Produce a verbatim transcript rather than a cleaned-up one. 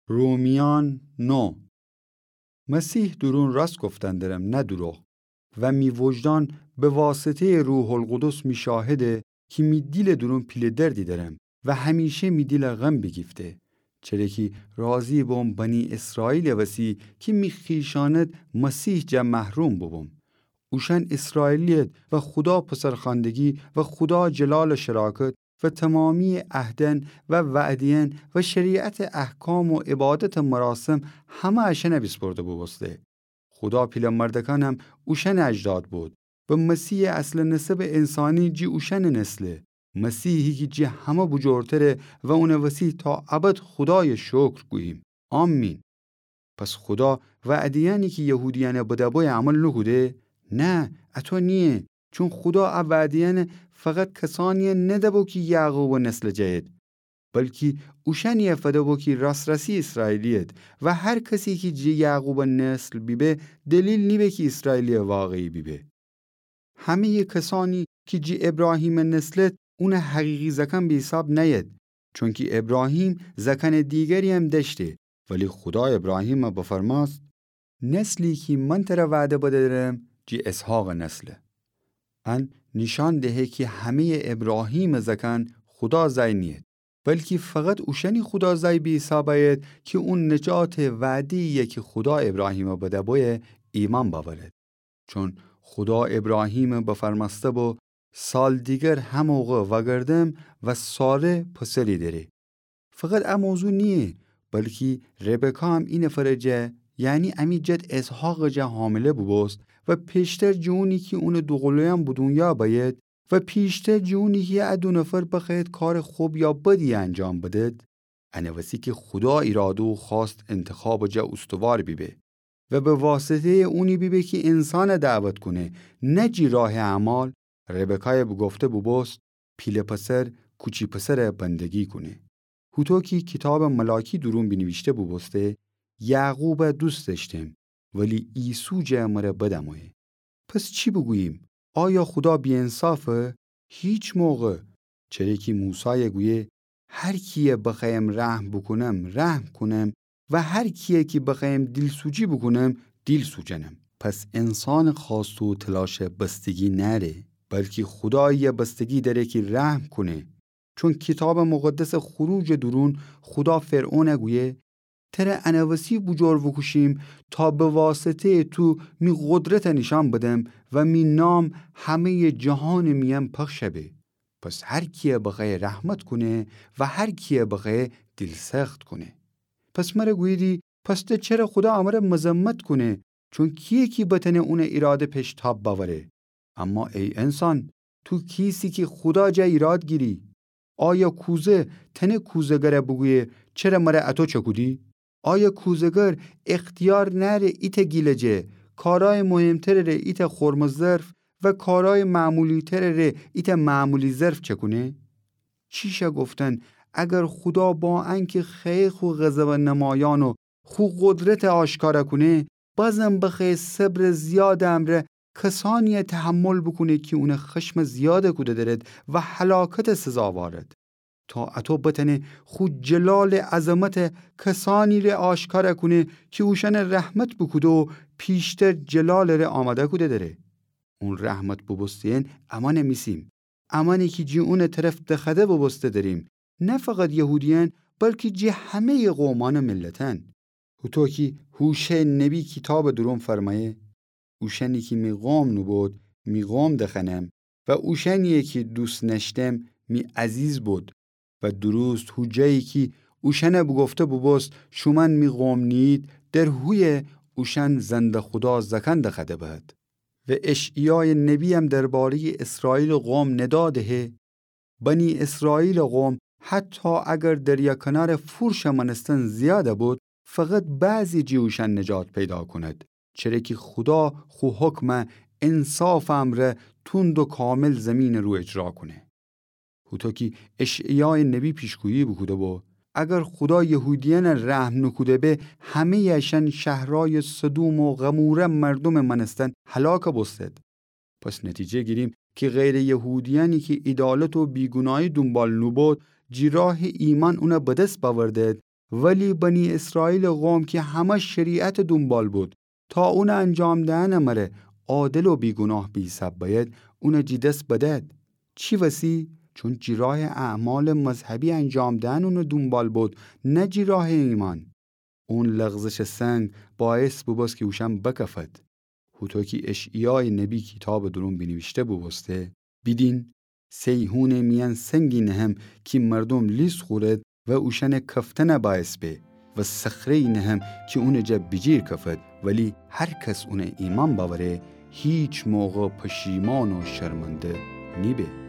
رومیان نه. مسیح دورون راست گفتن درم، نه دوروغ. و می وجدان به واسطه‌یٚ روح‌القدس می شاهده کی می دیلٚ دورون پیله دردی درم و همیشه می دیل غم بیگیفته. چره کی راضی بوم بنی اسرائیلٚ وسی کی می خویشأنت مسیح جا محروم بوبوم. اوشأن اسرائیلی‌یت و خودا پسرخواندگی و خودا جلالٚ شراکت و تومامی‌یٚ عهدأن و وعده‌یأن و شریعتٚ احکام و عبادتٚ مراسم همه اشأن بیسپرده بوبوسته. خودا پیله مردکأنم اوشأنٚ اجداد بود و مسیحٚ اصلٚ نسبٚ انسانی جی اوشأنٚ نسله. مسیحی کی جی همه بوجورتره و اونٚ وسی تا ابد خودایَ شکر گوییم. آمین. پس خودا وعده‌یأنی کی یهودیأنَ بده‌بویه عمل نوکوده؟ نه، اطو نییه. چون خودا ا وعده‌یأنَ فقط کسانی‌یَ نده‌بو کی یعقوبٚ نسلٚ جه‌یید، بلکی اوشأنی‌یَ فده‌بو کی راس‌راسی اسرائیلی‌یید و هر کسی کی جی یعقوبٚ نسل بیبه، دلیل نیبه کی اسرائیلی‌یٚ واقعی بیبه. همه‌یٚ کسانی کی جی ابراهیمٚ نسلید، اونٚ حقیقی زأکأن به حساب نأیید، چونکی ابراهیم زأکأنٚ دیگری‌یم دأشته، ولی خودا ابراهیمَ بفرمأست: نسلی کی من تره وعده بدأرم، جی اسحاقٚ نسله. ان نیشأن دهه کی همه‌یٚ ابراهیمٚ زأکأن خودا زأی نیید، بلکی فقط اوشأنی خودا زأی به حساب أیید کی او نجاتٚ وعده‌یی کی خودا ابراهیمَ بده‌بویه ایمأن بأورید. چون خودا ابراهیمَ بفرمأسته‌بو: سال دیگر هموقع وأگردم و ساره پسری دأره. فقط ا موضوع نییه، بلکی ربکایم اینفرٚ جا، یعنی امی جد اسحاقٚ جا حامله بوبوست و پیشتر جٚه اونی کی اونٚ دوقلویأن به دونیا بأیید و پیشتر جٚه اونی کی ا دو نفر بخوأیید کارٚ خب یا بدی انجام بدید، انٚ وسی کی خودا ایراده و خواست انتخابٚ جا اوستوار بیبه و به واسطه‌یٚ اونی بیبه کی انسانَ دعوت کونه، نه جی راهٚ اعمال، ربکایَ بوگفته بوبوست: پیله پسر کوچی پسرَ بندگی کونه. هوطو کی کیتابٚ ملاکی دورون بینیویشته بوبوسته: یعقوبَ دوست دأشتم، ولی عیسو جا مره بدمویه. پس چی بوگوییم؟ آیا خودا بی‌انصافه؟ هیچ موقع! چره کی موسایَ گویه: هر کیَ بخوأیم رحم بوکونم، رحم کونم، و هر کیَ کی بخوأیم دیلسوجی بوکونم، دیل سوجنم. پس انسانٚ خواست و تلاشَ بستگی نأره، بلکی خودایی‌یَ بستگی دأره کی رحم کونه. چون کیتابٚ مقدسٚ خروجٚ دورون خودا فرعونَ گویه: تره انٚ وسی بوجور بوکوشیم تا به واسطه‌یٚ تو می قدرتَ نیشأن بدم و می نام همه‌یٚ جهانٚ میأن پخش به. پس هر کیَ بخوأیه رحمت کونه و هر کیَ بخوأیه دیل‌سخت کونه. پس مره گوییدی: پس ده چره خودا امره مذمت کونه؟ چون کیه کی بتأنه اونٚ ایراده پش تاب بأوره؟ اما ای انسان، تو کیسی کی خودا جا ایراد گیری؟ آیا کوزه تأنه کوزه‌گرَ بوگویه: چره مره اطو چکودی؟ آیا کوزه‌گر اختیار نأره ایتأ گیلجه کارأیٚ مهمترٚ ره ایتأ خرمٚ ظرف و کارأیٚ معمولی‌ترٚ ره ایتأ معمولی ظرف چکونه؟ چی شأ گفتن، اگر خودا با انکی خوأیه خو غضبَ نمایأن و خو قدرتَ آشکارَ کونه، بازم بخوأیه صبرٚ زیادٚ امرأ کسانی‌یَ تحمل بوکونه کی اونَ خشمٚ زیادَ کوده درید و هلاکتٚ سزاوارید. تا اطو بتأنه خو جلالٚ عظمتَ کسانی ره آشکارَ کونه کی اوشأنَ رحمت بوکوده و پیشتر جلالٚ ره آمادَ کوده دره. اون رحمت بوبوسته‌یأن امأنَ میسیم. امأنی کی جی اونٚ طرف دخوأده بوبوسته دریم، نه فقط یهودیأن، بلکی جی همه‌یٚ قومأن و ملتأن. هوطو کی هوشع نبی کیتابٚ دورون فرمأیه: اوشأنی کی می قوم نوبود، می قوم دخوأنم و اوشأنی‌یَ کی دوست نأشتم، می عزیز بود. و دوروست هو جایی کی اوشأنَ بوگفته بوبوست: شومأن می قوم نیید، در هویه اوشأن زنده‌خودا زأکأن دخوأده بهد. و اشعیایٚ نبی‌یم درباره‌یٚ اسرائیلٚ قوم ندا دهه: بنی اسرائیلٚ قوم حتی اگر دریا کنارٚ فورشٚ مأنستن زیادَ بود، فقط بعضی جی اوشأن نجات پیدا کند، چره کی خودا خو حکمَ انصافٚ امرأ توند و کامل زیمینٚ رو اجرا کونه. هوطو کی اشعیایٚ نبی پیشگویی بوکوده بو، اگر خودا یهودیأنَ رحم نوکوده به، همه‌یٚ اشأن شهرأیٚ سدوم و غموره مردومٚ مأنستن هلاکَ بوستد. پس نتیجه گیریم کی غیرٚ یهودیأنی کی عیدالت و بیگوناهی دونبال نوبود، جی راهٚ ایمأن اونَ بدس بأوردد ولی بنی اسرائیلٚ قوم کی همه شریعتٚ دونبال بود، تا اونٚ انجام دئنٚ مره عادل و بیگوناه بیساب بأید، اونٚ جٚه دس بدأد. چی وسی؟ چون جٚه راهٚ اعمالٚ مذهبی انجام دئن اونٚ دونبال بود، نه جٚه راهٚ ایمأن. اون لغزشٚ سنگ باعث بوبوست کی اوشأن بکفد. هوطو کی اشعیایٚ نبی کیتابٚ دورون بینیویشته بوبوسته: بیدین، صیحونٚ میأن سنگی نهم کی مردوم لیس خورد و اوشأنٚ کفتن باعث به، و صخره‌یی نهم کی اونٚ جا بیجیر کفد، ولی هر کس اون ایمأن بأوره، هیچ موقع پشیمان و شرمنده نیبه.